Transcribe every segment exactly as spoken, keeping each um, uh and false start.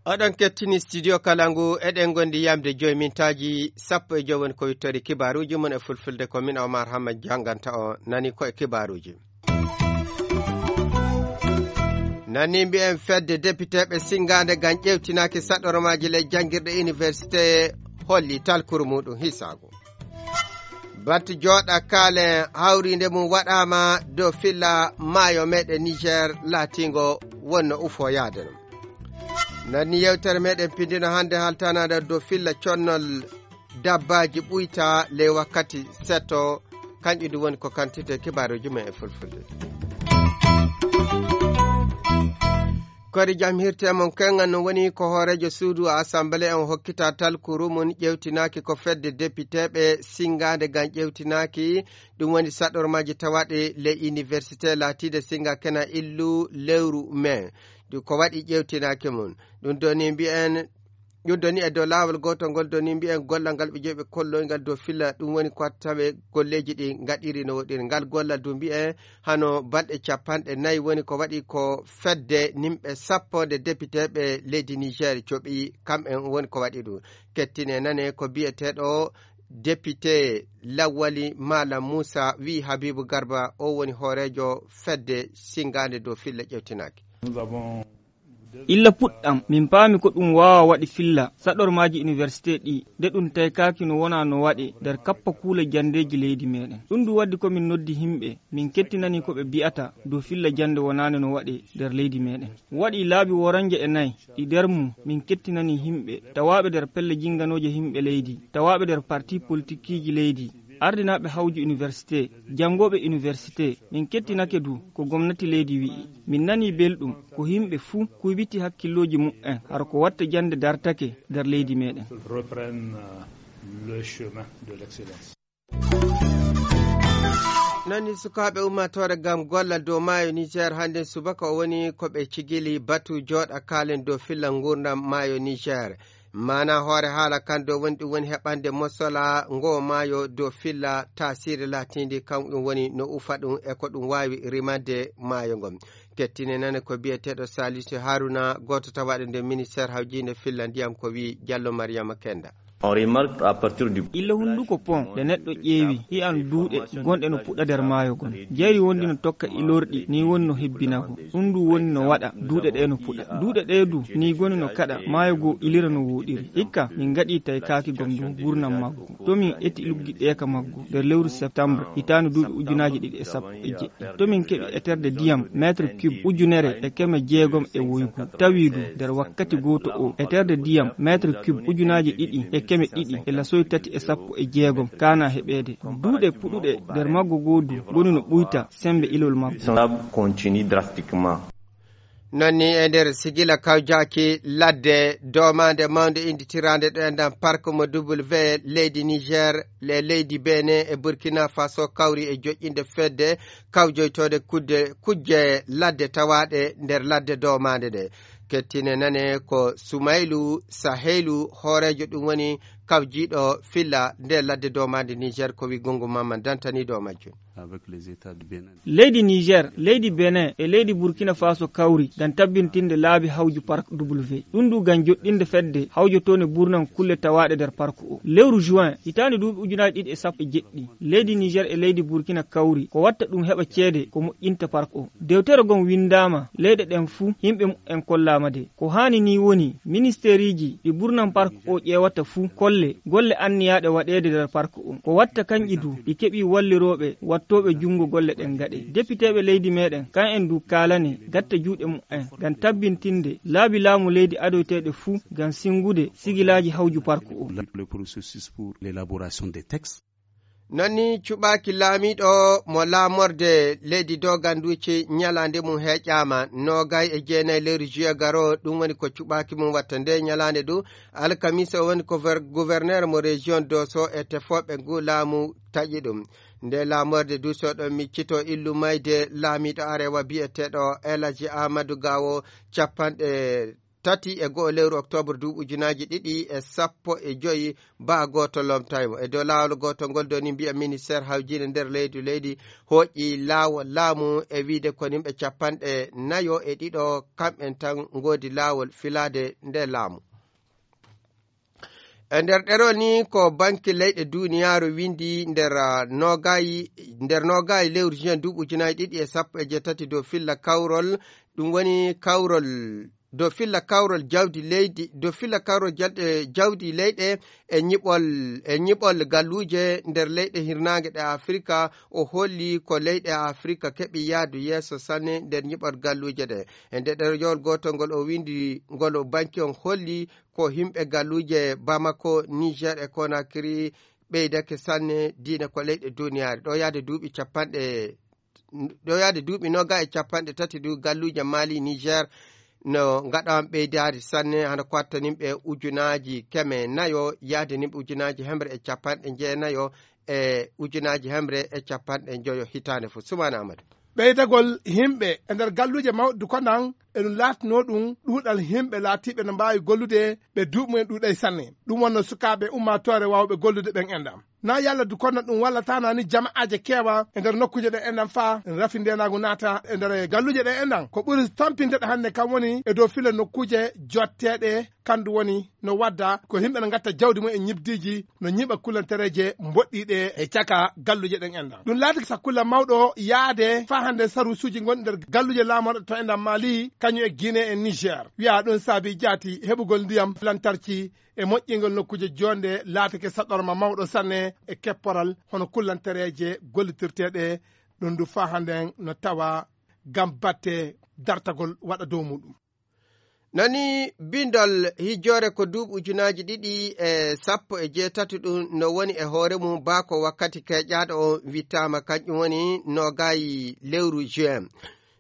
Oɗon kettini studio kala ngu, eɗen ngondi yamde joyi mintaaji sappo e joyi woni ko wittori kibaaruuji mon e fulfulde. Ko min Omar Hamma jannganta o, nani ko e kibaaruuji. Nani mbiyen fedde depiteeɓe sinngaande ngam ƴeewtinaaki saɗormaaji ley janngirɗe université holli talkuru muɗum hisaago. Batu jooɗa kaalen hawriinde mum waɗaama dow filla maayo meɗen Niger laatiingo wonno ufoyaade ɗum. Nani yewtere meɗen pindino hannde haltanaade dow filla connol dabbaaji ɓuyta ley wakkati seto, kanƴum ɗum woni ko kantite kibaaruuji men e fulfulde. Kori jam hirte mon kengan no woni ko hooreejo suudu assemblée on hokkita talkuru mum ƴeewtinaaki ko fedde depiteeɓe sinngaande ngam ƴeewtinaaki, ɗum woni saɗormaaji tawaaɗe ley université laatiide sinnga kena illu lewru mai. Ɗum ko waɗi ƴeewtinaaki mum. Ɗum ɗo ni mbiyen, ɗum ɗo ni e dow laawol gootol ngol ɗo ni mbiyen gollal ngal ɓe jeyi ɓe kolloy ngal dow filla, ɗum woni ko watta tawe golleeji ɗi ngaɗiri no woɗiri. Ngal gollal du mbiyen hano balɗe capanɗe nayi woni ko waɗi ko fedde nimɓe sappo nde depiteeɓe leydi Niger coɓi, kamɓen woni ko waɗi ɗum. Kettine nane ko biyeteeɗo député Lawwali Malam Moussa wi Habibou Garba, o woni hooreejo fedde sinngaande dow filla ƴeewtinaaki. Illa puɗɗam, min paami ko ɗum waawa waɗi filla saɗormaaji université ɗi, nde ɗum taykaaki no wona no waɗe nder kappa kuule janndeeji leydi meɗen. Ɗum ɗum waddi ko min noddi himɓe, min kettinani ko ɓe bi'ata dow filla jannde wonaande no waɗe nder leydi meɗen. Waɗi laabi woranje e nayi ɗi nder mum min kettinani himɓe tawaaɓe nder pelle jinnganooje himɓe leydi, tawaaɓe nder parti politikiiji leydi, ardinaaɓe hawju université, janngooɓe université. Min kettinake du ko gomnati leydi wi'i. Min nanii belɗum ko himɓe fuu kuybiti hakkillooji mu'en hara ko watta jannde dartake nder leydi meɗen. Reprennent, euh, le chemin de l'excellence. Nani sukaaɓe ummaatoore ngam gollal dow maayo Niger hannde subaka o woni ko ɓe cigili batu jooɗa kaalen dow filla nguurndam maayo Niger. Maana hoore haala kan dow woni ɗum woni heɓande mosola ngo maayo dow filla taasiiri laatiindi kam ɗum woni no ufa ɗum e ko ɗum waawi rimande maayo ngon. Kettine nane ko biyeteeɗo Salisu Haruna, gooto tawaaɗo nder ministère hawjiinde filla ndiyam ko wi Jallo Mariama Kenda. On remarque à partir du Illa hunnduko pont nde neɗɗo ƴeewi hi'an duuɗe gonɗe no puɗɗa nder maayo gon. Jayri wondi no tokka ilorɗi ni woni no hebbinago. Ɗum ndu woni no waɗa duuɗe ɗe no puɗa. Duuɗe ɗe du ni goni no kaɗa maayo goo ilira no wooɗiri. Hikka min ngaɗi taykaaki gom dow gurnam maggo. To min eti luggi ɗeeka maggo nder lewru septembre hitaande duuɓi ujunaaji ɗiɗi e sappo e jeɗɗi. To min keɓi eterde diyam mètre cube ujunere e keme jeegom e woygu. Tawi du nder wakkati gooto o eterde diyam mètre cube ujunaaji ɗiɗi e keme ɗiɗi e lasoy tati e sappo e jeegom kaana heɓeede. Duuɗe puɗuɗe nder maggo goo du goni no ɓuyta sembe ilol maggo. Continue drastiquement. Non ni e nder sigila kawjaaki ladde doomaande mawnde innditiraande ɗo e nder park mo W leydi Niger, le leydi Benin e Burkina Faso kawri e joƴƴinde fedde kawjoytoode kudde, kujje ladde tawaaɗe nder ladde doomaande ɗe. Kettine nane ko Sumaylu Sahelu, hooreejo ɗum woni kawjiiɗo filla nde ladde doomaande Niger, ko wi Gungu Mamman dantaniiɗo o majjum. Avec les États du Bénin. Leydi Niger, leydi Benin e leydi Burkina Faso kawri ngam tabbintinde laabi hawju Park W. Ɗum du ngam joɗɗinde fedde hawjotoonde burnam kulle tawaaɗe nder park o. Lewru juin, hitaande duuɓi ujunaaji ɗiɗi e sappo e jeɗɗi, leydi Niger e leydi Burkina kawri ko watta ɗum heɓa ceede ko moƴƴinta park o. Dewtere gon winndaama leyɗe ɗen fuu, yimɓe mumen kollaama de. Ko haani nii woni, ministeeriiji ɗi burnam park o ƴeewata fuu kolle golle anniyaaɗe waɗeede nder park o. Ko watta kanƴi du ɗi keɓii wallirooɓe wattooɓe junngo golle ɗen gaɗe. Depiteeɓe leydi meɗen, kan en du kaalane gatta juuɗe mumen ngam tabbintinde laabi laamu leydi adoyteeɗe fuu ngam sinngude sigilaaji hawju park o. Le processus pour l'élaboration des textes. Non ni cuɓaaki laamiiɗo mo laamorde leydi Doganduuci ñalaande mum heƴaama noogay e jeenayi lewru juillet garo, ɗum woni ko cuɓaaki mum watta nde ñalaande du alkamisa o woni ko ver-, gouverneur mo région Dosso e tefooɓe ngu laamu taƴi ɗum. Nde laamorde du so ɗon miccito illu mayde laamiiɗo arewa biyeteeɗo El Hadji Amadou Gawo capanɗe tati e go'o lewru oktoobar duuɓi ujunaaji ɗiɗi e sappo e joyi, baa gooto lomtay mo. E dow laawol gootol ngol doni mbiya ministeer hawjiinde nder leydi, leydi hooƴi laawol laamu e wiyde ko yimɓe capanɗe nayo e ɗiɗo kamɓen tan ngoodi laawol filaade nde laamu. E nder ɗerol ni ko banki leyɗe duniyaaru windi nder, ah, nogayi, nder nogayi lewru juin duuɓi ujunaaji ɗiɗi e sappo e jeetati dow filla kawrol, ɗum woni kawrol, dow filla kawrol jawdi leydi, dow filla kawrol jalɗe jawdi leyɗe e ñiɓol, e ñiɓol galluuje nder leyɗe hirnaange ɗe Afrika. O holli ko leyɗe Afrika keɓi yaadu yeeso sanne nder ñiɓol galluuje ɗe. E nder ɗerol gootol ngol o windi, ngol banki on holli ko yimɓe galluuje Bamako, Niger e Conakry ɓeydake sanne diine ko leyɗe duniyaaru. Ɗo yaade duuɓi capanɗe, ɗo yaade duuɓi noga e capanɗe tati du galluuje Mali, Niger no ngaɗan ɓeydaade sanne, hano ko watta nimɓe ujunaaji keme nayo yaade nimɓe ujunaaji hemre e capanɗe jeenayo e ujunaaji hemre e capanɗe njoyo hitaande fof. Sumaana Amadou. Ɓeydagol yimɓe e nder galluuje mawɗe du ko nan e ɗum laatinoo ɗum ɗuuɗal yimɓe laatiiɓe no mbaawi gollude ɓe duuɓi mumen ɗuuɗay sanne. Ɗum wonno sukaaɓe ummaatoore waawɓe gollude ɓen enɗam. Na yalla du kono ɗum wallataana ni jama'aaje keewa e nder nokkuuje ɗe enɗam faa rafi ndeenaagu naata e nder galluuje ɗe enɗam. Ko ɓuri tampinde ɗo hannde kam woni e dow fila nokkuuje jotteeɗe kandu woni no wadda ko yimɓe no ngatta jawdi mum e ñibdiiji no ñiɓa kullantereeje mboɗɗiiɗe e caka galluuje ɗen enɗam. Ɗum laati sakulla mawɗo yaade faa hannde saruusuuji gonɗi nder galluuje laamorɗe to enɗam Mali, kañum e Guinée e Niger. Wiyaa ɗum saabi jaati heɓugol ndiyam lantarki e moƴƴingol nokkuuje joonde laatake saɗorma mawɗo sanne e kepporal hono kullantereeje gollitirteeɗe ɗum du faa hannde no tawa ngam batte dartagol waɗa dow muɗum. Nani bindol hijjoore ko duuɓi ujunaaji ɗiɗi e sappo e jeetati ɗum no woni e hoore mum baa ko wakkati keƴaaɗo on wittaama kañum woni nogayi lewru juin.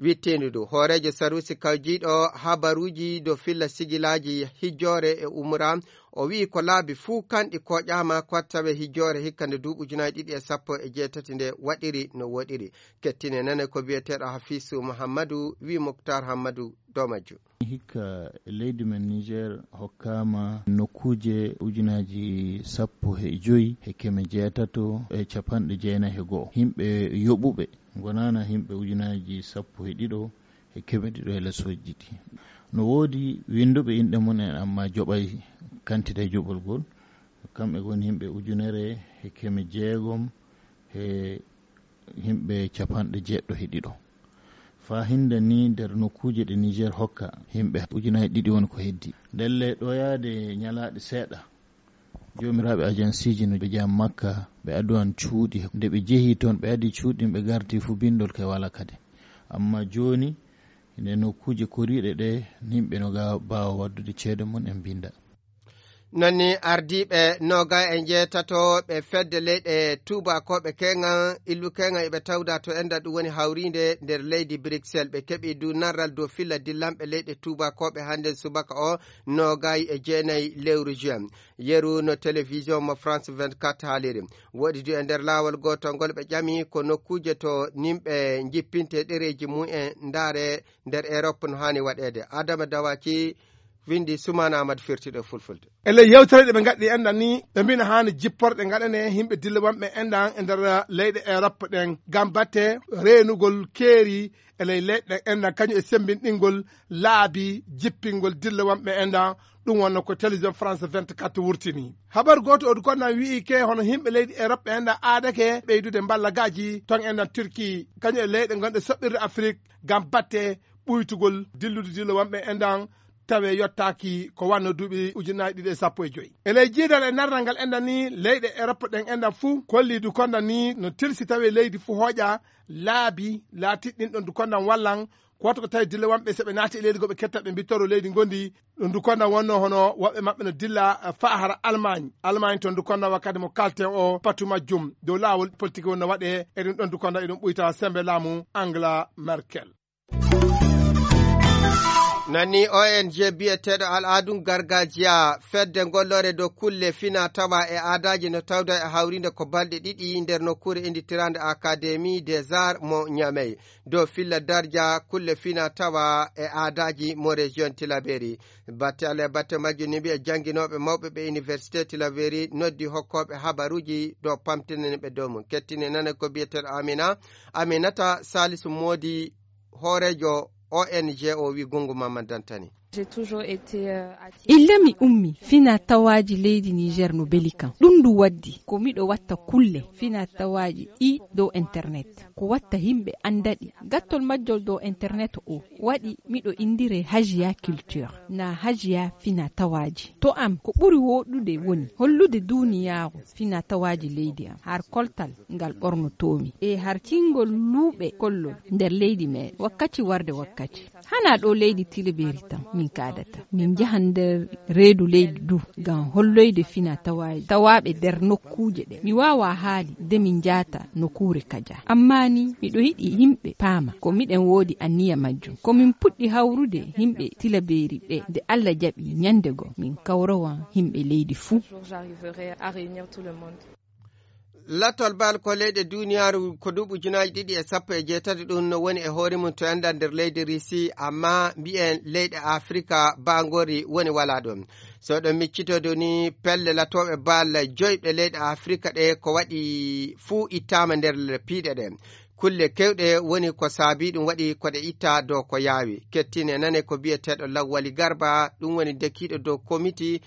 Wittiindu ndu, hooreejo saruusi kawjiiɗo habaruuji dow filla sigilaaji hijjoore e umra, o wi'i ko laabi fuu kanɗi koƴaama ko tawe hijjoore hikka nde duuɓi ujunaaji ɗiɗi e sappo e jeetati nde waɗiri no woɗiri. Kettine nane ko biyeteeɗo Hafiisu Muhammadu, wi'i Muktar Hammadu dow majjum. Hikka leydi men Niger hokkaama nokkuuje ujunaaji sappo e joyi e keme jeetato e capanɗe jeenayi e go'o. Yimɓe yoɓuɓe ngonaana yimɓe ujunaaji sappo e ɗiɗo e keme ɗiɗo e lesooji ɗiɗi. No woodi winnduɓe inɗe mum en, amma joɓay kantite joɓol gol. Kamɓe ngoni yimɓe ujunere e keme jeegom e yimɓe capanɗe jeeɗiɗo e ɗiɗo. Faa hinnde ni nder nokkuuje ɗe Niger hokka, yimɓe ujunaaji ɗiɗi woni ko heddi. Ndelle ɗo yaade ñalaaɗe seeɗa, joomiraaɓe ajansiiji no ɓe njaha Makka, ɓe addu an cuuɗi. Nde ɓe jehi toon, ɓe addi cuuɗi ɗin, ɓe garti fu binndol kay wala kadi. Amma jooni, nde nokkuuje koriiɗe ɗe, yimɓe no ga-, mbaawa waddude ceede mum en mbinnda. Nani ardiiɓe noga e njeetato ɓe fedde leyɗe tuubakooɓe keeŋan, illu keeŋan eɓe tawda to enda ɗum woni hawriinde nder leydi Bruxelles. Ɓe keɓi du narral dow filla dillanɓe leyɗe tuubakooɓe hannde subaka o noga e jeenayi lewru juin. Yeru no télévision mo France vingt-quatre haaliri. Woɗi du e nder laawol gootol ngol ɓe ƴami ko nokkuuje to nimɓe njippinte ɗereeji mum en ndaare nder Europe no haani waɗeede. Adama Dawaki windi Sumaana Ahmad firtiiɗo e fulfulde. E ley yewtere ɗe ɓe ngaɗi enɗan ni, ɓe mbino haani jipporɗe ngaɗane yimɓe dille wonɓe enɗan e nder leyɗe Europe ɗen ngam batte reenugol keeri e ley leyɗe ɗen enɗan, kañum e semmbinɗingol laabi jippingol dille wonɓe enɗan. Ɗum wonno ko télévision France vingt-quatre wurtini. Habar gooto odu konnan wi'i ke hono yimɓe leydi Europe enɗan aadake ɓeydude mballagaaji ton enɗan Turquie, kañum e leyɗe gonɗe soɓɓirde Afrique ngam batte ɓuytugol dillude dille wonɓe enɗan tawe yottaaki ko wanno duuɓi ujunaaji ɗiɗi e sappo e joyi. E ley jiidal e narral ngal enɗan ni, leyɗe Europe ɗen enɗan fuu kolli du konnan ni no tilsi tawe leydi fuu hooƴa laabi laatiɗi ɗin ɗon du konnan wallan. Ko waɗi ko tawi dille wonɓe so ɓe naati e leydi goo ɓe ketta ɓe mbittoro leydi ngondi. Ɗum du konnan wonno hono woɓɓe maɓɓe no dilla, eh, faa hara Allemagne. Allemagne ton du konnan wakkati mo kalten o patu majjum dow laawol politique wonno waɗe e ɗum ɗon du konnan eɗum ɓuyta sembe laamu Angela Merkel. Nani O N G biyeteeɗo Al'adun Gargajiya, fedde golloore dow kulle fina tawa e aadaaji no tawda e hawrinde ko balɗe ɗiɗi nder nokkuure innditiraande Académie des Arts mo Niamey, dow filla darja kulle fina tawa e aadaaji mo région Tilaberi. Batte Allah e batte majjum ni mbiya jannginooɓe mawɓe ɓe Université Tilaberi noddi hokkooɓe habaruuji dow pamtinani ɓe dow mum. Kettine nane ko biyeteeɗo Amina, Aminata Salisu Moodi, hooreejo O N G o wi Gungu Mamman Dantani. J'ai toujours été, euh, attirée Illa mi par la ummi fina tawaaji leydi Niger no beli kam. Ɗum ndu waddi ko miɗo watta kulle fina tawaaji ɗi dow internet. Ko watta yimɓe annda ɗi. Gattol majjol dow internet o waɗi miɗo indire Hajiya Culture, na Hajiya fina tawaaji. To am ko ɓuri woɗude woni hollude duniyaaru fina tawaaji leydi am, har koltal ngal ɓornotoomi, e har kingol luuɓe kollol nder leydi meɗen, wakkati warde wakkati. Hana ɗo leydi Tilaberi tan min kaadata. Min njahan nder reedu leydi du ngam holloyde fina tawaaji tawaaɓe nder nokkuuje ɗe. Mi waawa haali de min njaata nokuure kaja. Amma ni miɗo yiɗi yimɓe paama ko miɗen woodi anniya majjum. Ko min puɗɗi hawrude yimɓe Tilaberi ɓe, nde Allah jaɓi, ñande goo min kawrowan yimɓe leydi fuu. Jour, j'arriverai à réunir tout le monde. Latol bal ko leyɗe duniyaaru ko duuɓi ujunaaji ɗiɗi e sappo e jeetati, ɗum no woni e hoore mum to enda nder leydi Risi, amma mbiyen leyɗe Afrika baangori woni wala ɗum. So ɗon miccitodo ni pelle latooɓe bal joyɓe leyɗe Afrika ɗe ko waɗi fuu ittaama nder piiɗe ɗe. Kulle kewɗe woni ko saabi ɗum waɗi ko ɗe itta dow ko yaawi. Kettine nane ko biyeteeɗo Lawwali Garba, ɗum woni dekiiɗo dow komiti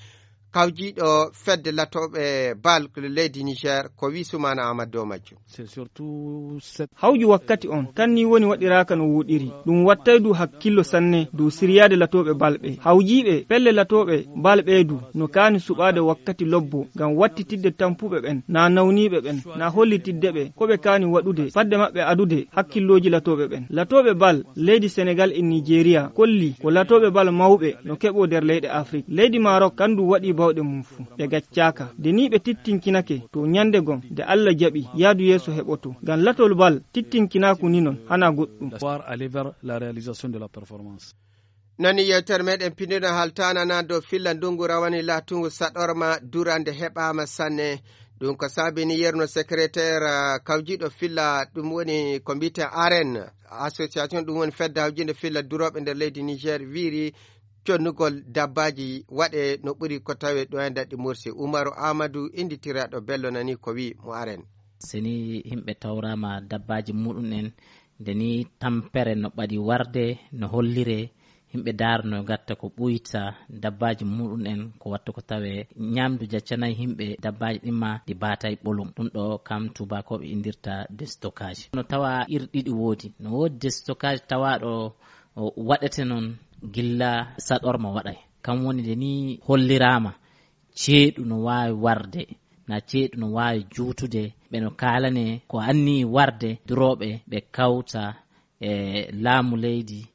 kawjiiɗo fedde latooɓe bal leydi Niger, ko wi Sumana Amadou dow majjum. C'est surtout cette Hawju wakkati on, kan ni woni waɗiraaka no woɗiri. Ɗum wattay du hakkillo sanne dow siryaade latooɓe bal ɓe. Hawjiiɓe pelle latooɓe bal ɓe du no kaani suɓaade wakkati lobbo ngam wattitidde tampuɓe ɓen, na nawniiɓe ɓen, na hollitidde ɓe ko ɓe kaani waɗude fadde maɓɓe adude hakkillooji latooɓe ɓen. Latooɓe bal leydi Senegal e Nigeria kolli ko latooɓe bal mawɓe no keɓoo nder leyɗe Afrik. Leydi Maroc kan du waɗi bawɗe mum fuu. Ɓe gaccaaka. Nde ni ɓe tittinkinake to ñande gom, nde Allah jaɓi, yaadu yeeso heɓoto. Ngam latol bal tittinkinaaku ni non, hana goɗɗum. D'espoir aller vers la réalisation de la performance. Nani yewtere meɗen pindino haltanana dow filla ndungu rawani latungu saɗorma durande heɓama sanne. Ɗum ko sabini yerno secrétaire, ah, kawjiɗo filla ɗum woni ko mbiyeten aren association ɗum woni fedde hawjinde filla duroɓe nder leydi Niger wiiri connugol dabbaji waɗe no ɓuri ko tawe ɗo e nder ɗi Mursi. Umaru Amadou inditiraɗo Bello nani ko wi mo aren. Seni yimɓe tawrama dabbaji muɗum en, nde ni tampere no ɓaɗi warde, no hollire yimɓe daarno gatta ko ɓuyta dabbaji muɗum en, ko watta ko tawe ñamdu jaccanay yimɓe dabbaji ɗin ma ɗi batay ɓolum. Ɗum ɗo kam tubakoɓe indirta destockage. No tawa ir ɗiɗi woodi. No woodi destockage tawaɗo o waɗete noon gilla saɗorma waɗay. Kam woni nde ni hollirama ceeɗu no waawi warde, na ceeɗu no waawi juutude. Ɓe no kaalane ko anni warde durooɓe ɓe kawta e laamu leydi,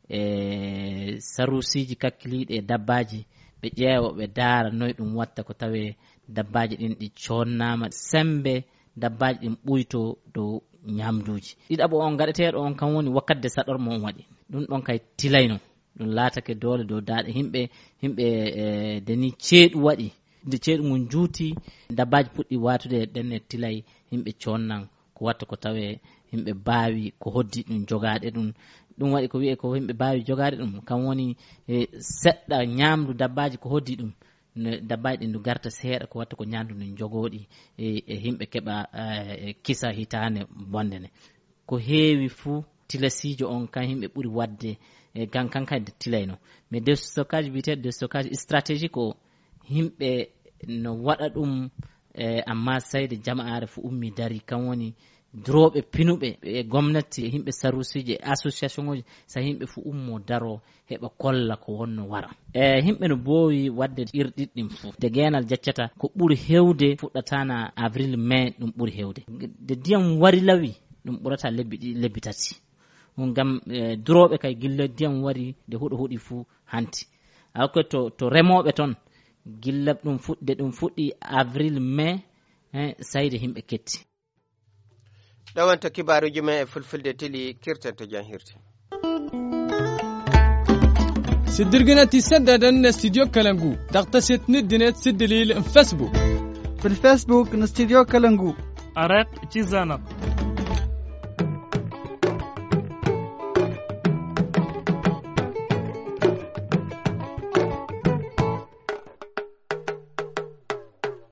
e sarusiiji kakkiliiɗi e dabbaaji, ɓe ƴeewa, ɓe daara noy ɗum watta ko tawee dabbaaji ɗin ɗi coonnaama, semmbe dabbaaji ɗin ɓuytoo dow ñaamduuji. Ɗiɗaɓo on gaɗeteeɗo on, kan woni wakkati de saɗorma on waɗi. Ɗum ɗon kay tilayno. Ɗum laatake doole dow daaɗe yimɓe, yimɓe, e, nde ni ceeɗu waɗi, nde ceeɗu ngun juuti, dabbaaji puɗɗi waatude e ɗenne tilay, yimɓe coonnan ko watta ko tawee yimɓe baawi ko hoddi ɗum jogaade ɗum. Ɗum waɗi ko wiyee ko yimɓe baawi jogaade ɗum, kam woni, e, seɗɗa ñaamdu dabbaaji ko hoddi ɗum, ne dabbaaji ɗin ndu garta seeɗa ko watta ko ñaamdu ndu jogooɗi, e, e yimɓe keɓa, e, e kisa hitaande bonde nde. Ko heewi fuu, tilasiijo on kan yimɓe ɓuri waɗde, e, kan, kan kadi tilayno. Mais destockage, biyeteeɗo destockage stratégique o, yimɓe no waɗa ɗum, e, amma sayde jama'aare fu ummi dari, kan woni durooɓe pinuɓe, e gomnati, e yimɓe sarusiiji, e association uji, sa yimɓe fu ummo daro, heɓa kolla ko wonno wara. E, yimɓe no boowi waɗde irɗiɗi ɗin fuu. Nde geenal jaccata, ko ɓuri heewde fuɗɗataana avril, mai, ɗum ɓuri heewde. Nde ndiyam wari lawi, ɗum ɓurata lebbi ɗiɗi, lebbi tati. Ɗum ngam, e, durooɓe kay gilla ndiyam wari, nde huɗo huɗi fuu hanti. Awa ko to, to remooɓe ton, gilla ɗum fuɗ-, nde ɗum fuɗɗi avril, mai, e, sayde yimɓe ketti. Ɗo wonto kibaaruuji men e fulfulde tili kirten to jam hirti. Siddirgina ti seddaden ne studio Kalangu. Daqta setni dinet siddilil n Facebook. Fi l Facebook n studio Kalangu. Araq ci Zana.